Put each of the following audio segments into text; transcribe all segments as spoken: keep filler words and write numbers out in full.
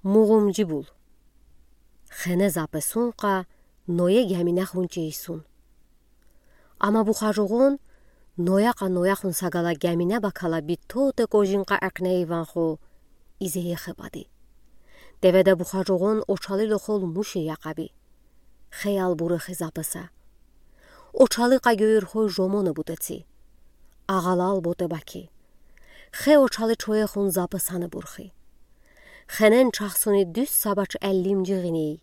Мугъумжи бул. Хене запесункъа Ное гяминахун чейсун. Ама бухажугъун Ноякъа Нояхун сагала гямине бакала битоте кожинкъа экне иванху изеехебади. Деведа бухажугъун очалил охол муши яхаби. Хеял бурхи запеса. Очаликъа гӧйрхой жомоне бутеци. Агъалал боте баки. Хе очали чоехун запесане бурхи. Хенен чахсуни дуьз сабач эллимжи гъиней.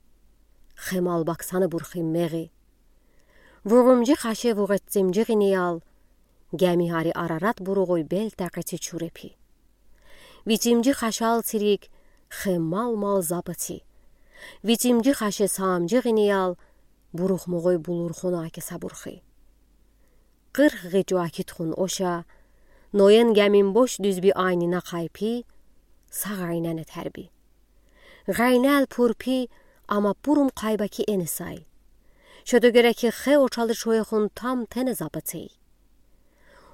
Хе мал баксане бурхи мегъи. Вугъумжи хаше вугъеццимжи гъинеял, гями гъари Арарат буругъой бел такъеци чурепи. Вицимжи хашал цирик хе мал-мал запеци. Вицимжи хаше саамжи гъинеял, бурухмугъой булурхона акеса бурхи. Къырх гъичу акитхун оша, Ноен гямин бош дуьзби айнина хайпи, сагъ айнене терби. Гъайнел пурпи, ама пурум хайбаки энесай. Шота гёре ки хе очали чоехун там тене запецей.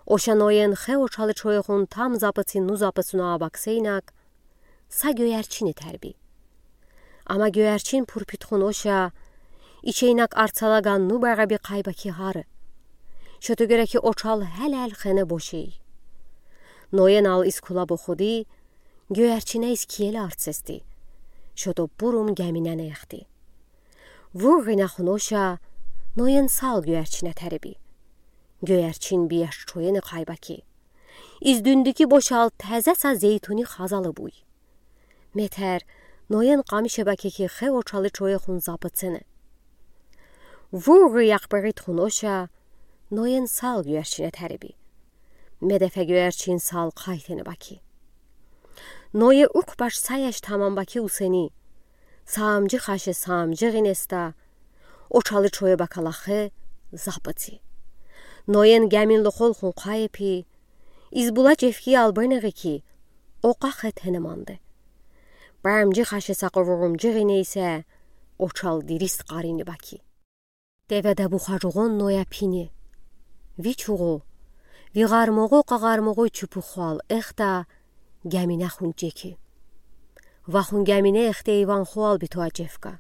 Оша Ноен хе очали чоехун там запеци ну запецуна абаксейнак, са гёярчини терби. Ама гёярчин пурпитхун оша, ичейнак арцалаган ну бегъеби хайбаки гъари. Шота гёре ки очал гьелел хене бошей. Ноен ал из кула бохуди, гёярчине из киеле арцести. Шота пурум гяминене эхти. Вугъ гъинахун оша, Ноен сал гёярчине тереби. Гёярчин бияш чоене хайбаки. Из дуьндики бошал тезе са зейтуни хазалы буй. Метер, Ноен къамише баки ки хе очали чоехун запецене. Вугъ гъиякъ бегъитхун оша, Ноен сал гёярчине тереби. Медефе гёярчин сал хайтене баки. Ное ук баш саяш тамам баки усени. Саамжи хаше саамжи гъинеста, очали чое бакала хе запеци. Ноен гямин лохолхун хайпи, из була чевкиял бенегъи ки, окъа хе тене манде. Памжи хаше сакъа вугъумжи гъинейсе, очал дирист къарини баки. Деведа бухажугъун Ноя пини. Ви чугъу, ви гъармугъу къагъармугъу чупухуал эхта, гяминахун чеки. Вахун гямине эхте иванхуал битуа чевка.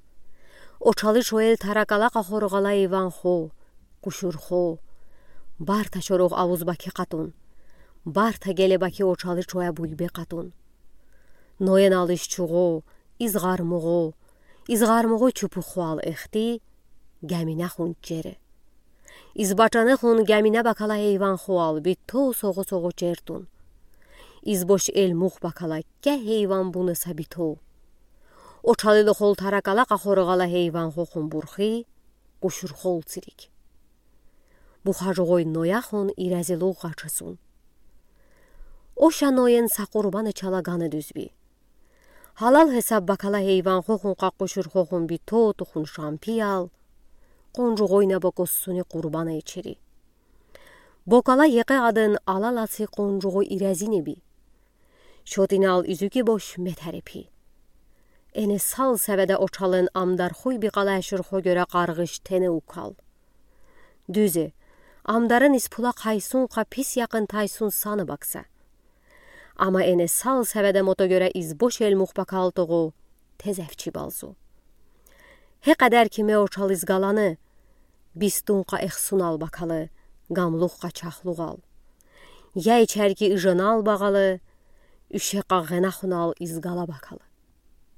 Очали чоел таракала къахор гъала иванху, къушурху. Барта шоругъ авуз баки къатун. Барта геле баки очали чоя буйбе къатун. Ноен ал из чугъу, из гъармугъу, из гъармугъу чупухуал эхти, гяминахун чере. Из бачанехун гямине бакала иванхуал биту согъу-согъу чертун. Из бош элмух бакала ке иван буне са биту. Очали лохол таракала къахор гъала иванхухун бурхи, къушурхул цирик. Бухажугъой Нояхун иразилугъ гъачасун. Оша Ноен са къурбане чала гана дуьзби. Гьалал гьесаб бакала иванхухун къа къушурхухун биту тухун шампиял, къунжугъойна бокоссуни къурбане ичери. Бокала екъе аден алал аци къунжугъой иразинеби. Шотинал изюки бош метерепи. Эне сал севеда очален амдар хуй бикъала ашурху гёре къаргъыш тене укал. Дуьзе, амдарен из пула хайсун къа пис якъын тайсун сана бакса. Ама эне сал севеда мото гёре из бош элмух бакал тугъу, тезев чибалзу. Гье къадар ки ме очал из галаны, бистун къа эхсунал бакалы, гамлух къа чахлугъал. Яй чарги ыжанал багъалы, уьше къа гъенахунал из гала бакалы.